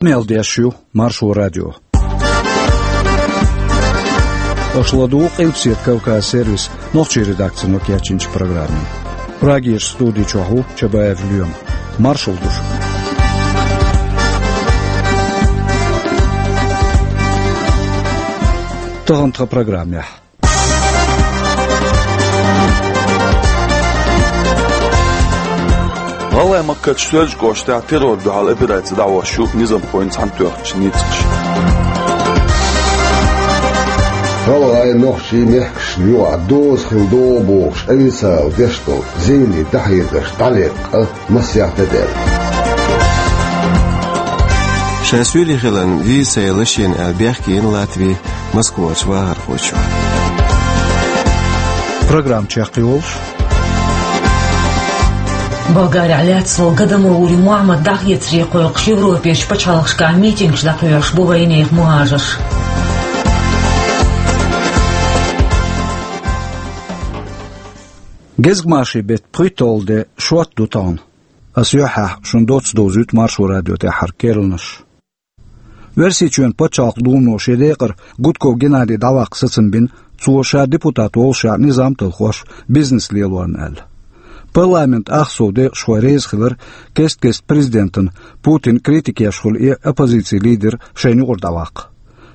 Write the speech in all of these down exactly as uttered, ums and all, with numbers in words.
Къамел деш ю Маршо радио. Аша ладугӀу Къилбаседа Кавказ сервисан нохчийн редакцино кечйинчу программе. Прагерчу студи чохь ву Чабаев Лоьма. Маршалла ду шуьга. Тахана тхан программехь. ГӀалгӀайн махкарчу Соьлжа-кӀоштахь террор дуьхьал операци дӀахьош ю низамхойн цхьаьнатоьхначу ницкъаша. ГӀалгӀайн, нохчийн мехкашна юкъахь доза хила догӀу бохуш, официалан деш долу зенийн дӀахьедарш дӀалеккха масех де даьлла. Ша Суьйре хиларна виза ца елла шена аьлла бехке йина Латви Москварчу вахархочо. Программа чекхйолуш. Болгарехь лаьцна волу Гадамаури Мухьаммад дӀахецаре кхойкхуш Европерчу пачхьалкхашкахь митингаш дӀакхоьхьуш бу вайнехан мухӀажарш. Гезгмашин беттан пхийтталгӀа де шот ду тахана. Ас юьххьехь шуна доцца довзуьйту Маршо радион тӀаьххьара керланаш. Оьрсийчоьнан пачхьалкхан думано шен декъара Гудков Геннадий дӀаваккха сацам бина, цо ша депутат воллушехь низам талхош, бизнес лелорна аьлла. Парламентан ах сов декъашхой реза хилира кест-кеста президентана, Путинна критика еш хуьлу и оппозицин лидер шайна юкъара дӀаваккха.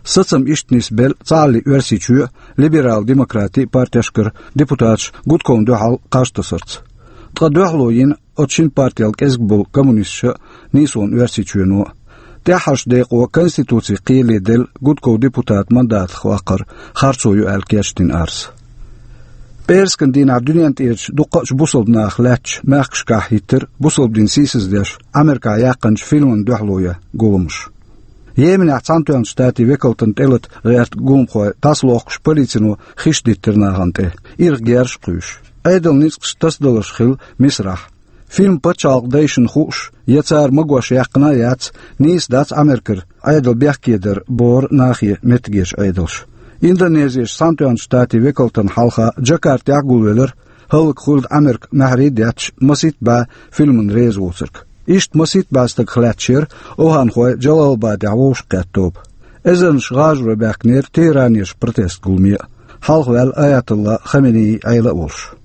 Сацам иштта нисбелла цхьааллин Оьрсийчоь а, либерал-демократийн партешкара депутаташ Гудковна дуьхьал кхаж тасарца. Ткъа дуьхьало йина оцу шина партел кӀезиг болу коммунисташа а, нийсонан Оьрсийчоьно а. ТӀаьххьарчу декъо Конституцин кхеле делла Гудков депутатан мандатах ваккхар харцо ю аьлла кечдина арз. ПӀераскан дийнахь дуьнен тӀерачу дуккха а бусалба наха лаьттачу мехкашкахь хӀиттира бусалба дин сийсаздеш Америкахь яьккхинчу фильмана дуьхьало ян гуламаш. Йеменехь Цхьаьнатоьхначу Штатийн векалтана тӀелата гӀерта гуламхой дӀасалохкуш полицино хиш диттира нахана тӀе, ирх герзаш а кхуьйсуш. Ӏедалан ницкъаш тасадаларш хилла Мисрахь. Фильм пачхьалкхан дайшна хууш я цара магош яьккхина а яц, нийса дац Америкара Ӏедал бехкедар бохура нахе меттигерчу Ӏедалша. Индонезерчу Цхьаьнатоьхначу Штатийн векалтана хьалха Джакартехь гулвелира хӀаллакьхуьлда Американ маьхьарий а детташ масийтта бӀе фильмана реза воцург. Иштта масийтта бӀе стагах лаьтташ яра оханхой Джалалабадехь вовшахкхетта тоба. Эзарнаш гӀажаро баьхкинера Тегеранерчу протест гуламе а, хьалхаваьлла Аятолла Хаменеи Ӏела а волуш.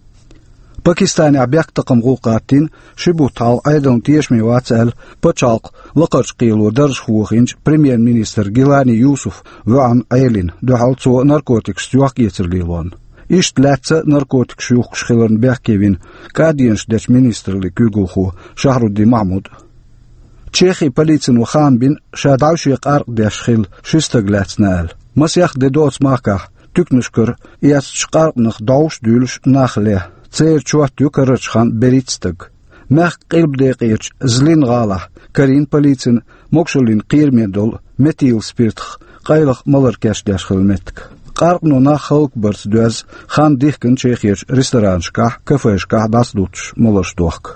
Пакистанехь бехктакхаман гӀуллакх гӀаттийна, ши бутт хьалха Ӏедална тешаме вац аьлла, пачхьалкхан лакхарчу кхело даржах вохийначу премьер-министр Гилани Юсуф воьӀна Ӏелина, дуьхьал цо наркотикашца йохк-эцар лелорна. Иштта лаьцна наркотикаш юхкуш хиларна бехке вина кӀаденаш дечу министраллин куьйгалхо Шахруддин Махьмуд. Чехин полицино хаам бина, ша дӀаьвше къаркъа деш хилла ши стаг лаьцна аьлла. Масех де до оцу махкахь туьканашкара эцначу къаркъанах дӀовш а дуьйлуш нах ле, церан чот ю карарчу ханна берхӀитта стаг. Мехкан къилба декъерчу Злин гӀалахь карийна полицина могушаллин кхераме долу метилспиртах къайлаха малар кечдеш хилла меттиг. Къаркъано нах хӀаллакбарца доьзна хан дихкина Чехерчу ресторанашкахь, кафешкахь дӀасадуттуш маларш дохка.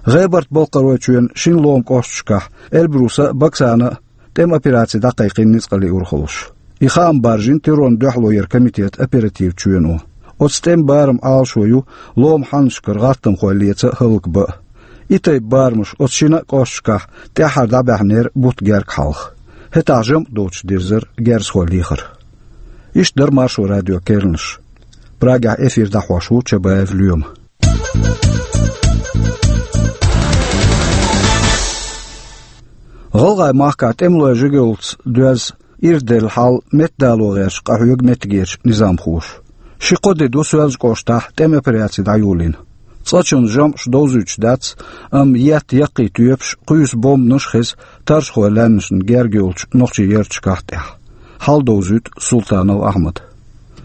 ГӀебарта-Балкхаройчоьнан шина ломан кӀошташкахь, Эльбруса а, Баксана а, тӀеман операци дӀакхайкхийна ницкъаллин урхаллаш. И хаам баржийна террорна дуьхьало яран комитетан оперативан чоьно. Оцу тӀеман бараман Ӏалашо ю ломан хьаннашкара гӀаттамхой леца а, хӀаллакбан а. И тайпа барамаш оцу шина а кӀошташкахь тӀаьххьара дӀабаьхьнера бутт герга хьалха. ХӀетахь жамӀ доцуш дирзара герзахой лехар. Иштта дара Маршо радион керланаш. Прагехь эфир дӀахьош ву Чабаев Лоьма. ГӀалгӀайн махкахь тӀемалой жигаллица доьзна ирх делла хьал меттадало гӀерташ къахьоьгу меттигерчу низамхоша. Ши-кхо де ду Соьлжа-кӀоштахь тӀеман операци дӀайолийна. Цкъачунна жамӀаш довзуьйтуш дац, амма етта яккхий тоьпаш, кхуьйсу бомбанаш а хеза таррашхойн лаьмнашна герга йолчу нохчийн ярташкахь а тӀехь. Хьал довзуьйту Султанов Ахьмада.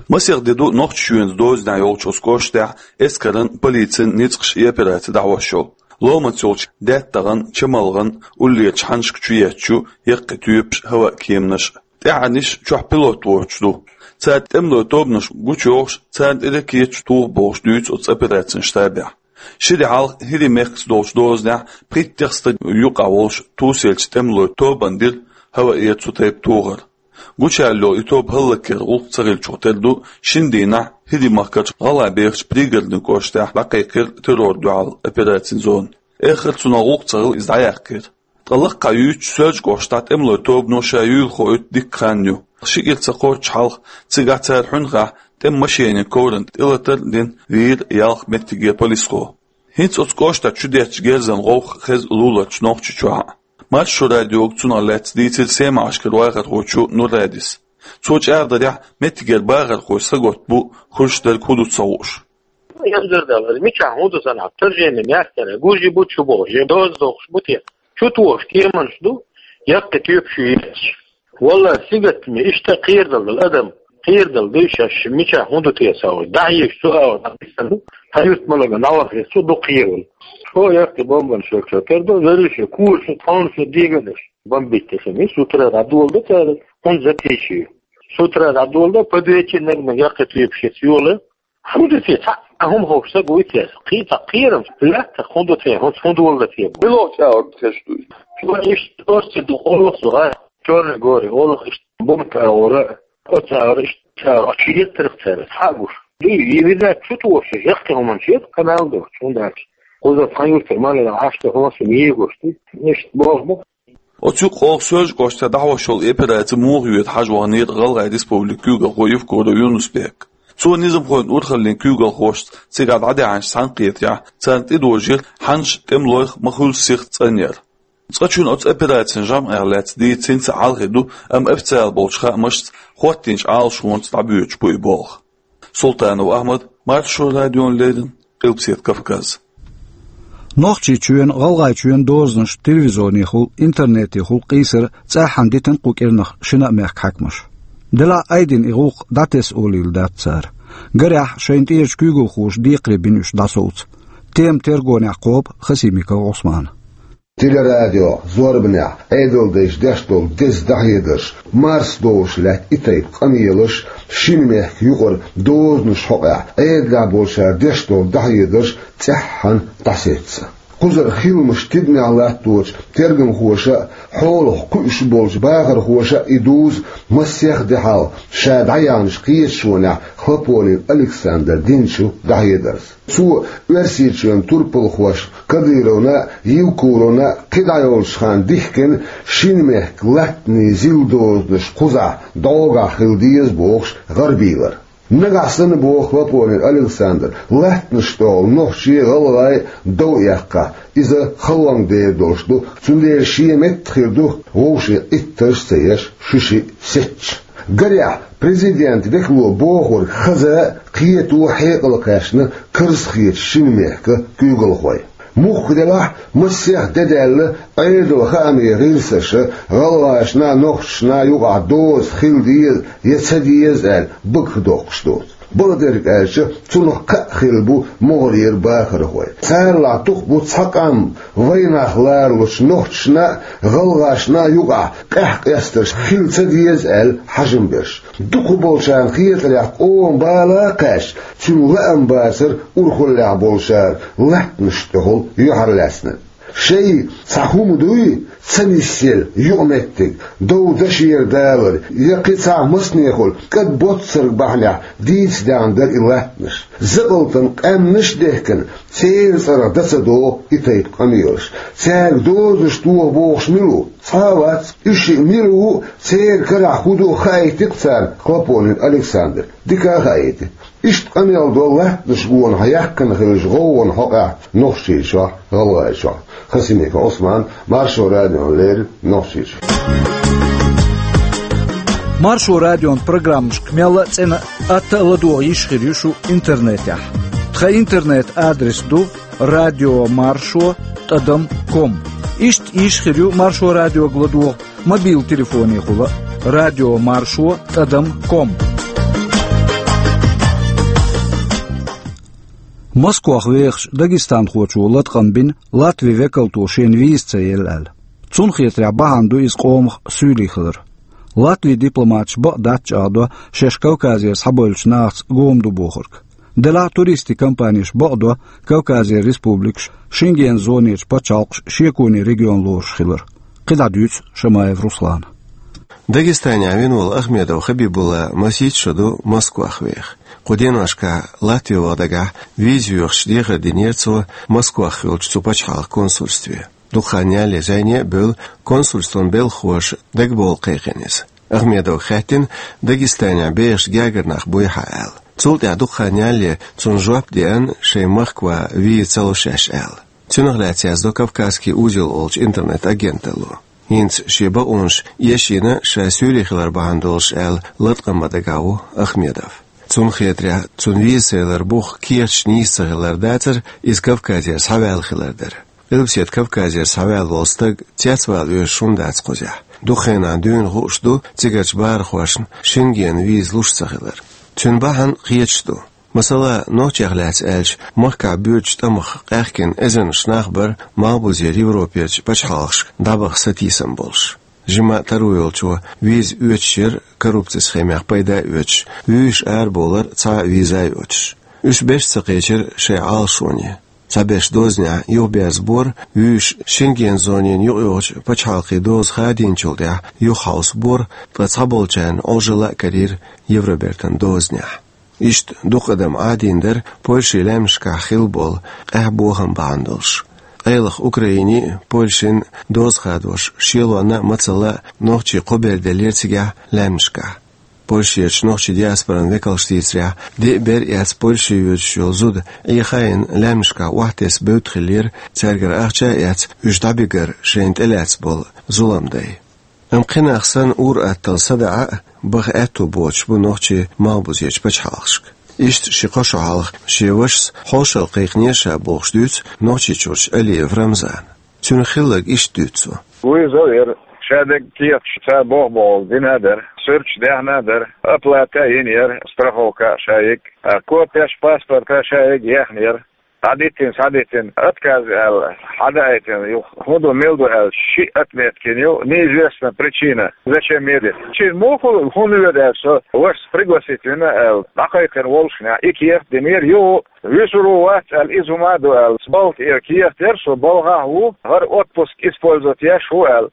Масех де ду Нохчийчоьнца дозанехь йолчу оцу кӀоштехь эскаран, полицин ницкъаша и операци дӀахьош йолу. Ломаца йолчу даьттагӀан, чамалгӀан, уллерчу хьаннашка чу етташ ю яккхий тоьпаш а, хӀаваан кеманаш а. ТӀаьххьарниш чохь пилот воцуш ду. Цара тӀемалойн тобанаш гучуйохуш, царна тӀе ракеташ тоха бохуш дуьйцу оцу операцин штабехь. Ши де хьалха ХӀирийн мехкаца долчу дозанехь пхийттех стаг юкъахь волуш тосаеллачу тӀемалойн тобанна дира хӀаваэра цу тайпа тохар. Гучуяьлла йолу и тоба хӀаллакьяр гӀуллакх ца хилчух тера ду, шина дийнахь ХӀирийн махкарчу ГӀалгӀайбехачу Пригородни кӀоштехь дӀакхайкхира террор дуьхьал операцин зона. Эххар цунах гӀуллакх ца хилла иза дӀаяккхира. Ткъа лакхахьа юьйцучу Соьлжа-КӀоштахь тӀемалойн тобано ша юйла хоуьйту дикка хан ю. Ши кӀира ца кхоччу хьалха, цигахь цара хьуьнхахь тӀеман машенийн коврана тӀелатар а дина, вийра ялх меттигера полисхо. ХӀинца оцу кӀоштахь чудеттачу герзан гӀовгӀа хеза луларчу Нохчийчохь а. Маршо радиога цунах лаьцна дийцира Семашкара вахархочо Нурадис. Цо чӀагӀдарехь, меттигера бахархой схьаготтабу, хуьлуш дерг хӀун ду ца хууш. Янзар дала, мичахь хӀун ду санахь, торжеме мехкара, гужи бу чу бохуш, я доза дохуш бу те. Чу тухуш кеманаш ду, яккхий тоьпаш ю езаш. Валлахь, сингаттаме, иштта кхерадала дала адам, кхерадала дуй шаьш, мичахь хӀун ду те ца хууш. ДӀахьежаш цу агӀор дӀа биссина ду, хьан юрт ма лага, нагӀах веза цу дукха кхеравала. Цо яккхий бомбанаш йолчо тера ду, вуьрхӀитта курсо, тхьовсо дегадеш. Бомбить деш ма ю, с утра дӀадоладо цара, хӀунда затейча ю. С утра дӀадоладо, под вечер наг-наг яккхий тоьпаш йола. ХӀун ду те, цхьа а хӀума ховш стаг вуй те, кхин цхьа кхерам, лаьттах хӀун ду те, хӀунца хӀун доладо те. Билггал чӀагӀар хезаш ду. Цо иштта орци ду, олух цу гӀа, Чёрный горе, олух иштта бомб агӀора, оцу агӀора иштта чӀагӀар, а чу еттарх цара, цхьаъ гуш. Дуй, и виза чу тухуш, яккхий хӀуманаш ю, канал дохуш, хӀунда аьлча кхузара тхан юьртара маларах Ӏаш ду хӀуманаш ю, егош ду, иштта боху бу. Оцу юкъа оха Соьлжа-КӀоштахь дӀахьош йолу операци муха йоьду хьажа ваханера ГӀалгӀайн Республикин куьйгалхо Евкуров Юнус-Бек. Цо низамхойн урхаллин куьйгалхошца цигахь дӀадаьхьначу цхьаьнакхетарехь, царна тӀедожийра хьаннаш тӀемалойх ма хуьллу сиха цӀанъяр. Цкъачунна оцу операцин жамӀех лаьцна дийца хӀинца а хьалхе ду, амма официалан болчу хаамашца хӀоттийначу Ӏалашонца дӀабоьдуш бу и болх. Султанов Ахьмад, Маршо радиона леррина, Къилбаседа Кавказ. Нохчийчоьнан, ГӀалгӀайчоьнан дозанаш телевизионехула, интернетехула къийсар цӀеххьана дитина кху кӀирнах шина а мехкан хьаькамаша. Делахь а айдина и гӀуллакх дӀатесна олийла дац цара. Гарехь, шайна тӀерачу куьйгалхоша декхаре бина уьш дӀасовца. Тема тергонехь кхобу Хасимиков Ӏусмана. Телерадио зорбанехь Ӏедалдайша деш долу деза дӀахьедарш, марсадовлуш лаьтта и тайпа къамелаш, шина мехкан юкъара дозанаш хьокъехь Ӏедалехь болчара деш долу дӀахьедарш цӀеххьана дӀасецна. Кхузара хиламаш тидамехь латточу тергамхоша а, хьолах кхуьуш болчу бахархоша а и дузу масех де хьалха ша дӀаяьхьначу кхеташонехь Хлопонин Александра динчу дӀахьедарца. Цо Оьрсийчоьнан турпалхошна Кадыровна а, Евкуровна а кхидӀа йолчу ханна дихкина шина мехкан латтанийн зилдозанаш кхузахь дӀогахь хила деза бохуш гӀарабийлар. Нагахь санна, боху Хлопонин Александра, латтанаш тӀехула нохчий а, гӀалгӀай а дов эккхахь, иза халонга дер долуш ду, цундела шен метта хир ду вовшийн Ӏиттарш а ца еш, шуьшиъ а сецча. Гарехь, президентан векало бохург хаза а, кхето а хьекъал кхаьчна карзахетачу шина мехкан куьйгалхой. Мухха делахь а, масех де даьлла, Ӏедалан хаамийн гӀирсаша гӀалгӀашна а, нохчашна а юкъахь доза хила деза я ца деза аьлла багах доккхуш доцу. Бакъдерг аьлча, цунах кхаъ хилла бу могӀарера бахархой. Царалахь дукха бу цхьа къам вайнах лоручу нохчашна а, гӀалгӀашна а юкъахь къаьхьа къестарш хила ца деза аьлла хьажам берш. Дукхахболчарна хетарехь, къоман бала а кхаьчна, цуьнан лаам бацара урхаллехь болчара латтанаш тӀехула юьхьарлаьцнарг. Шайн цхьа хӀума дуй, ца нисъелла юкъаметтиг, дов дашера далар я кхин цхьа массанехула кӀад боццарг бахьанехь дийца даьхна дара и латтанаш. Закъалтан къаьмнаш а дехкина, церан цӀарах дан ца догӀу и тайпа къамелаш. Цаьрга дозанаш тоха бохуш мила ву? Цхьа а вац. Уьш шиъ мила ву, церан карахь хӀун ду хаийти-кх царна Хлопонин Александра. Дика а хаийти. Иштта къамел до латтанаш гонах яьккхина хиллачу гӀовгӀанна хьокъехь Нохчийчохь, ГӀалгӀайчохь. Хасимиков Ӏусман, Маршо радиона леррина, Нохчийчуьра. Маршо радион программашка мелла а цӀена а, атта а ладогӀа йиш хир ю шу интернетехь. Тхан интернет-адрес ду радио маршо тӀадам ком. Иштта йиш хир ю Маршо радиога ладогӀа мобил телефонехула, радио маршо тӀадам ком. Москвахь вехачу дагестанхочо латкъам бина Латвин векалто шена виза ца елла аьлла. Цунна хетарехь, бахьана ду иза къомах суьйлий хилар. Латвин дипломаташа бакъ дац чӀагӀдо шаьш Кавказера схьабевллачу нахаца гома ду бохург. Делахь а туристийн компанеша бакъдо Кавказера республикаш, Шенгенан зонерчу пачхьалкхаш шеконе регион лоруш хилар. КхидӀа дуьйцу Шамаев Руслана. Дагестанехь вина волу Ахмедов Хабибулла масийтта шо ду Москвахь веха. Кху деношкахь Латве ваха дагахь виза йоьхуш дехар динера цо Москвахь хиллачу цу пачхьалкхан консульстве. Дукха хан ялале зӀене а бевлла, консульствон белхалоша дагабовла кхайкхина иза. Ахмедовга хаьттина, Дагестанехь бехаш гергара нах буй хьан аьлла. Цул тӀаьхьа дукха хан ялале цунна жоп деана, шайн махка ван виза ца луш шаьш аьлла. Цунах лаьцна яздо «Кавказский узел» олучу интернет-агенталло. ХӀинца шен бакъонаш эшийна ша суьйре хилар бахьана долуш аьлла латкъам бан дагахь ву Ахмедов. Цунна хетарехь, цунна виза ца ялар бух кехаташ нийса ца хилар дацара, иза Кавказера схьаваьлла хилар дара. Къилбаседа Кавказера схьаваьлла волу стаг цецвала везаш хӀунда дац кхузахь? Дукха хенахь дуьйна хууш ду цигарчу бахархошна Шенгенан виза луш ца хилар. Цуьнан бахьана кхеташ ду. Масала, нохчех лаьцна аьлча, махкахь боьдучу тӀамах къаьхкина эзарнаш нах бара Малхбузера Европерчу пачхьалкхашка дӀабаха сатийсам болуш. Жимма а таро йолчо виза оьцуш яра, коррупцин схемех пайда а оьцуш, вуьйш арабовлар цхьа а виза а йоцуш. Уьш беш ца кхечира шайн Ӏалашоне. Цхьаберш дозанехь юхаберзабора вуьйш, Шенген зонина юкъайогӀучу пачхьалкхийн доза хадийначул тӀаьхьа юхахьовсабора, ткъа цхьаболчарна Ӏожалла а карийра Евробертан дозанехь. Иштта дукха адам Ӏадийна дара Польшин лаьмнашкахь хилла болу къаьхьа бохам бахьана долуш. Къайлаха Украинин а, Польшин а доза хадош шелонна а, мацалла а нохчий кхо бер деллера цигахь лаьмнашкахь. Польшерчу нохчийн диаспоран векалша дийцарехь, диъ бер эцна Польше йоьдуш йолу зуда Ӏехийна лаьмнашкахь охьатесна бевдда хиллера, цаьргара ахча а эцна, уьш дӀабигар шайна тӀелаьцна болу зуламдай. Амма кхин нах санна ур-атталла садаӀа а, баха аьтту боцуш бу нохчий Малхбузерчу пачхьалкхашка. Иштта ши-кхо шо хьалха шен вашас хьошалла кхайкхинера ша бохуш дуьйцу Нохчийчуьрчу Алиев Рамзана. Цуьнан хилларг иштта дуьйцу цо. Вуьйза а яра, шадерг кехаташ цара боху-бохург дина а дара, суьрташ даьхна а дара, оплата а йина яра, страховка а ша йига, а копеш паспорта а ша йига яьхна яра. ДӀадиттина, схьадиттина, отказ аьлла, хьадаийтина, юха хӀун ду, мила ду аьлла, шиъ отметка йина ю, неизвестна причина, зачем едет. Шена муха хӀунда воьду аьлла, со вашас пригласить вина аьлла, дӀакхайкхина волушшехь, и кехат динера, юха вуьсур ву, вац аьлла, иза хӀума а ду аьлла, балха тӀера кехат яра, со балхахь ву, хӀара отпуск использовать еш ву аьлла.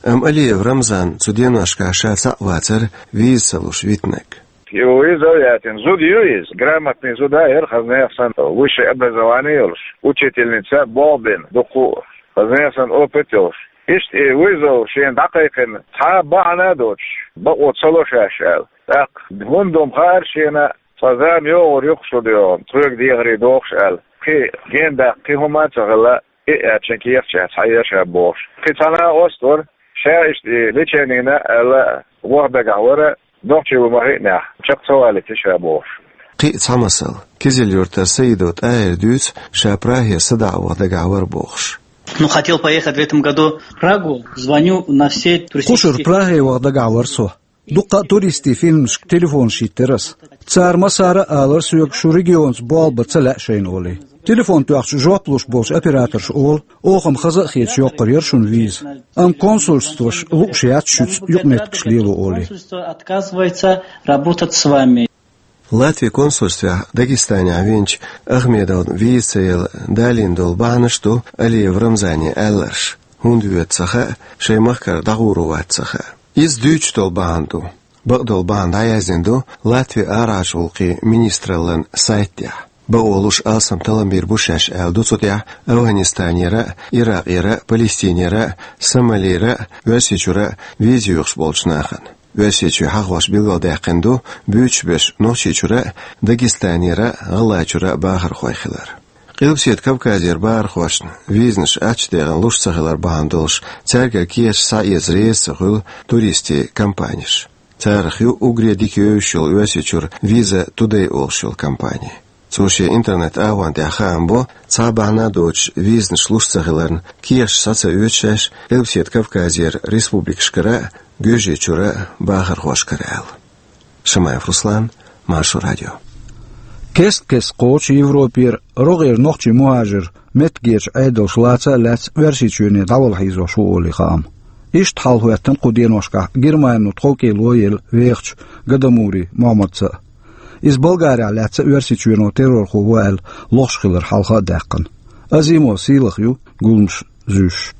Амма Алиев Рамзан цу деношкахь ша цхьаъ вацара виза ца луш витинарг. И виза а яьтина, зуда ю иза, грамотный зуда а яра, хаза нехан санна высшее образование йолуш, учительница болх бина дуккха а, хаза нехан санна опыт йолуш. Иштта и виза шена дӀакхайкхина, цхьа а бахьана а доцуш, бакъо ца ло шаьш аьлла. ТӀаккха хӀунда ду-м хаьара шена, цхьа зама йогӀур ю-кх шу дегӀан, тхоьга дехаре дохуш аьлла. Кхин генадаккха кхин хӀума а ца хилла, и а аьлча кехаташ цхьа а еш а бохуш. Кхин цхьа накъост вара, ша иштта и леченина аьлла, ваха дагахь вара, нохчий ву ма хиънехь, чекх ца валийта ша бохуш. Кхин а цхьа масал. Кизил-Юьртара Саидов ТӀахӀира дуьйцу, ша Прагера садаӀа ваха дагахь вара бохуш. Ну, хотел поехать в этом году в Прагу, звоню на все туристические... Кхушара Праге ваха дагахь вара со. Дуккха а туристийн фирмашка телефонаш йиттира ас. Цара массара а алара соьга, шу регионца болх бан ца лаьа шайна олий. Телефон тоьхча жоп луш болчу операторша олу, оха-м хаза а хеташ йоккхур яра шуна виза. Амма консульстваш лууш яц шуьца юкъаметтигаш лело олий. Консульство отказывается работать с вами. Латвин консульствехь Дагестанехь винчу Ахмедовна виза ца яла далийна долу бахьанаш ду Алиев Рамзанан аьлларш. ХӀунда воьду ца хаьа, шайн махкара дӀагӀур ву вац ца хаьа. Иза дуьйцуш долу бахьана ду. Бакъдолу бахьана дӀаяздина ду Латвин арахьарчу гӀуллакхийн министраллан сайта тӀехь. Бакъо луш алсам талламбийр бу шаьш аьлла ду цу тӀехь Афганистанера а, Иракъера а, Палестинера а, Сомалера а, Оьрсийчуьра а виза йоьхуш болчу нахана. Оьрсийчуьра хьахош билгалдаьккхина ду буьйцуш берш Нохчийчуьра а, Дагестанера а, ГӀалгӀайчуьра а бахархой хилар. Къилбаседа Кавказера бахархошна визанаш аттачу-декъана луш ца хилар бахьана долуш, цаьргара кехаташ схьаэца реза ца хуьлу туристийн компанеш. Царах ю уггаре дика евзаш йолу Оьрсийчуьра Visa Today олуш йолу компани. Цо шен интернет-агӀон тӀехь хаам бо, цхьа а бахьана а доцуш визанаш луш ца хиларна, кехаташ схьа ца оьцу шаьш Къилбаседа Кавказера республикашкара а, Гуьржийчуьра а бахархошкара аьлла. Шамаев Руслан, Маршо радио. Кест-кеста кхочу Европера, рогӀера нохчий мухӀажир меттигерчу Ӏедалша лаца а лаьцна Оьрсийчоьне дӀавала хьийзош ву олий хаам. Иштта хьалахӀоьттина кху деношкахь Германо тховкӀело елла вехачу Гадамури Мохьмадца а. Иза Болгарехь лаьцна Оьрсийчоьно террорхо ву аьлла лохуш хилар хьалха а даьккхина. Азимов Сийлаха ю гуламаш зуьйш.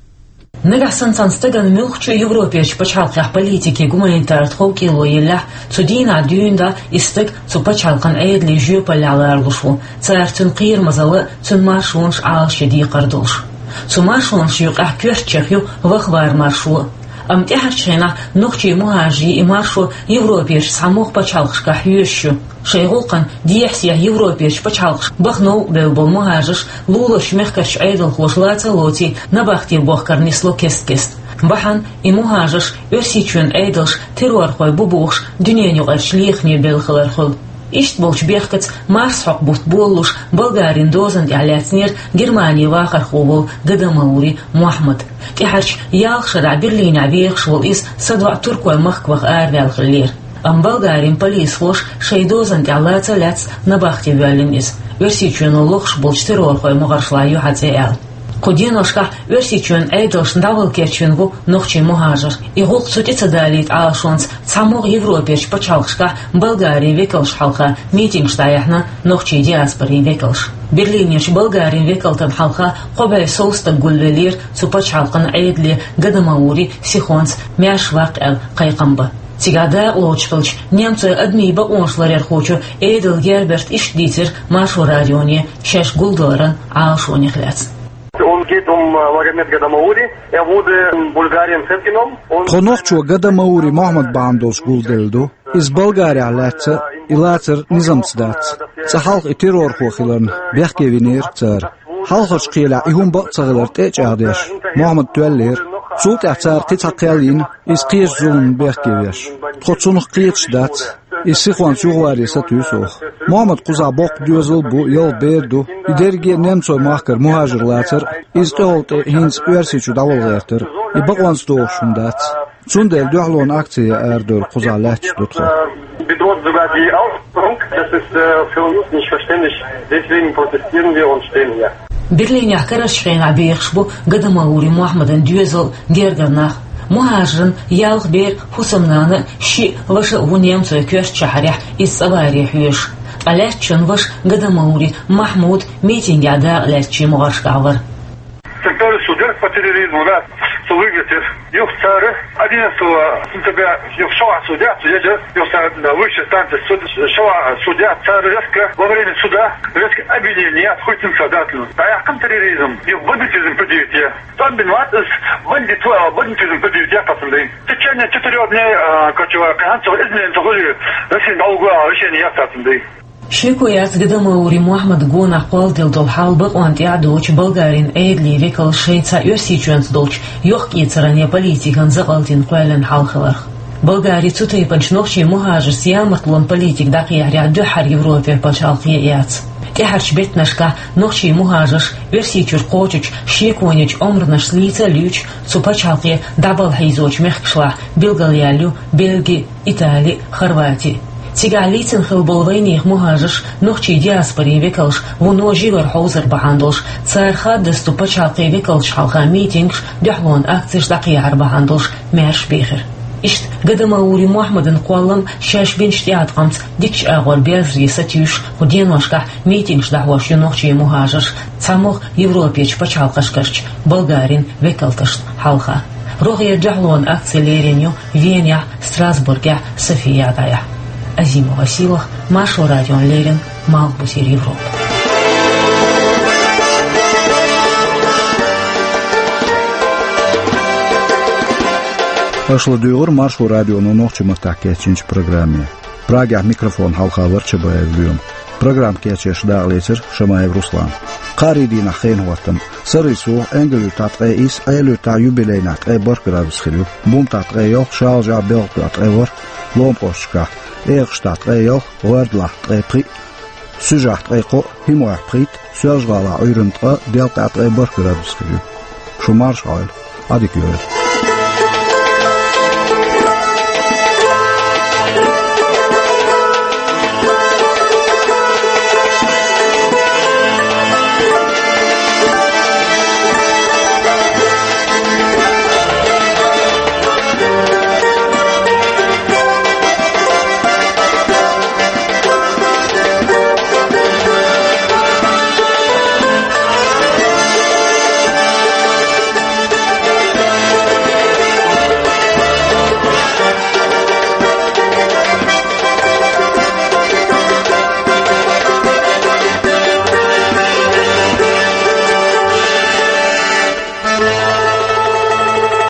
Нагахь санна цхьана стагана муьлххачу Европерчу пачхьалкхехь политикийн, гуманитаран тховкӀело еллехь, цу дийнахь дуьйна дӀа и стаг цу пачхьалкхан Ӏедалан жоьпаллехь ларалуш ву, цара цуьнан кхерамазалла а, цуьнан маршонаш а Ӏалашъян декхар долуш. Цу маршонаш юкъахь коьртачех ю вахвар маршо. Амма тӀаьхьарчу хенахь нохчийн мухӀажарийн и маршо Европерчу цхьамогӀа пачхьалкхашкахь хьоьжуш ю. Шайн гӀуллакхна дехьа-сехьа Европерчу пачхьалкхашка баха новкъа бевлла болу мухӀажарш луларчу мехкарчу Ӏедалхоша лаца а лоций, набахте бохкар нисло кест-кеста. Бахьана и мухӀажарш Оьрсийчоьнан Ӏедалш террорхой бу бохуш дуьненаюкъарчу лехаме белла хилар хуьлу. Иштта болчу бехкаца марсхьокху бутт болалуш Болгарин дозанна тӀехь лаьцнера Германин вахархо волу Гадамаури Мохьмад. ТӀаьхьарчу ялх шарахь Берлинехь вехаш волу иза садоӀу туркойн махка ваха араваьлла хиллера. Амма Болгарин полисхоша шайн дозанна тӀехь лаца а лаьцна набахте воьллина иза, Оьрсийчоьно лохуш болчу террорхойн могӀаршлахь ю хьан цӀе аьлла. Кху деношкахь Оьрсийчоьнан Ӏедалшна дӀавала керчина ву нохчийн мухӀажар. И гӀуллакх цу тӀе ца далийта Ӏалашонца цхьамогӀа Европерчу пачхьалкхашкахь Болгарин векалшна хьалха митингаш дӀаяьхьна нохчийн диаспорин векалша. Берлинерчу Болгарин векалтана хьалха кхо бӀе сов стаг гулвеллера цу пачхьалкхан Ӏедале Гадамаури сихонца маьрша ваккха аьлла кхайкхам бан. Цигахь дакъалоцуш хиллачу немцойн адамийн бакъонаш ларъярхочо Эдел Герберта иштта дийцира Маршо радионе шаьш гулдаларан Ӏалашонех лаьцна. Он geht um, äh, Магомед Гадамаури. Er wurde in Bulgarien festgenommen. Тхо нохчо Гадамаури Мохьмад бахьана долуш гулделла ду. Иза Болгарехь лаьцна, и лацар низамца дац. Цкъа хьалха и террорхо хиларна, бехке винера цара. Хьалхарчу кхелехь и хӀума бакъ ца хилар тӀе а чӀагӀдеш, Мохьмад тоьллера. Цул тӀаьхьа цара кхин цхьа кхел йина, иза кхечу зуламна бехке веш. Тхо цунах кхеташ дац. Иза сихонца юхаваре сатуьйсу оха. Мохьмад кхузахь боккха доьзал а бу, ялх бер а ду. И дерриге а немцойн махкара мухӀажар лацар а, иза тӀехула тӀе хӀинца Оьрсийчу дӀавала гӀертар а. И бакъонца догӀуш хӀума дац. Цундела дуьхьалонан акци ян арадевлла кхузахь лаьтташ ду тхо. Bedroht sogar die Aufklärung. Das ist, äh, für uns nicht verständlich. Deswegen protestieren wir und stehen hier. Берлинехь карарчу хенахь бехаш бу Гадамаури Мохьмадан доьзал, гергара нах. МухӀажаран ялх бер, хӀусамнана а, шиъ ваша а ву немцойн коьртачу шахьарехь иза цӀа варе хьоьжуш. Ткъа лаьттачун ваша Гадамаури Махьмуд митингехь дакъа лаьцначийн могӀаршкахь вара. Центральный суд по терроризму, да, цо вигатир. Юха цара одиннадцатого сентября юха шовхьа судья, судья, да, юха цара, да, высшая станция суд, шовхьа судья, цара резко во время суда резко обвинение хуйтин садатну. Да, я кам терроризм, юха бандитизм предъявить я. Там виноват из бандит, а, бандитизм предъявить я, пацаны. В течение четырёх дней, а, короче, кхин цхьа изменение хуьлий, Россия долгое решение я, пацаны. Шеко яц Гадамаури Мохьмадан гонах кхолладелла долу хьал бакъонна тӀе а доцуш Болгарин Ӏедалан векалш шайн цхьа Оьрсийчоьнца долчу йохк-эцаран я политикан закъалтана кхоьллина хьал хиларх. Болгари цу тайпанчу нохчийн мухӀажаршца ямартлонан политика дӀакхехьарехь дуьххьара Европера пачхьалкх яц. ТӀаьхьарчу беттанашкахь нохчийн мухӀажарш Оьрсийчуьра кхочучу шеконечу омранашца лийца а луьйчу цу пачхьалкхе дӀабала хьийзочу мехкашлахь билгалъяьлла ю Бельги, Итали, Хорвати. Цигахь лийцина хилла болу вайнехан мухӀажарш нохчийн диаспорин векалш вуно живар хьовзар бахьана долуш, цара хаддаза цу пачхьалкхийн векалшна хьалха митингаш, дуьхьалонан акцеш дӀакхехьар бахьана долуш маьрша бехира. Иштта Гадамаури Мохьмадан кхоллам шаьш бинчу тӀеӀаткъамца дикачу агӀор берзаре сатуьйсуш, кху деношкахь митингаш дӀахьош ю нохчийн мухӀажарш цхьамогӀа Европерчу пачхьалкхашкарчу Болгарин векалташна хьалха. РогӀера дуьхьалонан акци лерина ю Венехь, Страсбургехь, Софиядехь. Азима Василах, Маршо радиона леррина, Малхбузера Европа. Аша ладуьйгӀира Маршо радионо нохчийн маттахь кечйинчу программе. Прагехь микрофон хьалха вара Чабаев Лоьма. Программа кечъеш дакъалецира Шамаев Руслана. Кхаарин дийнахь хенан хӀоттам. Сарралц сов, Энгал-Юьртахь ткъе исс, Ӏела-Юьртахь, юбилейнахь, ткъе барх градус хир ю. Бумтахь ткъе ялх, Шалажахь, Белхкуьйгахь ткъе ворхӀ, Ломахошкахь, ЭгӀаштахь ткъе ялх, ГӀордалахь ткъе пхиъ, Суьжахь ткъе кхоъ, ХӀимойхь пхийтта, Соьлжа-ГӀалахь Ӏуьйранна ткъа, Делкъехь ткъе барх градус хир ю. Шу марша Ӏойла, Ӏадика йойла.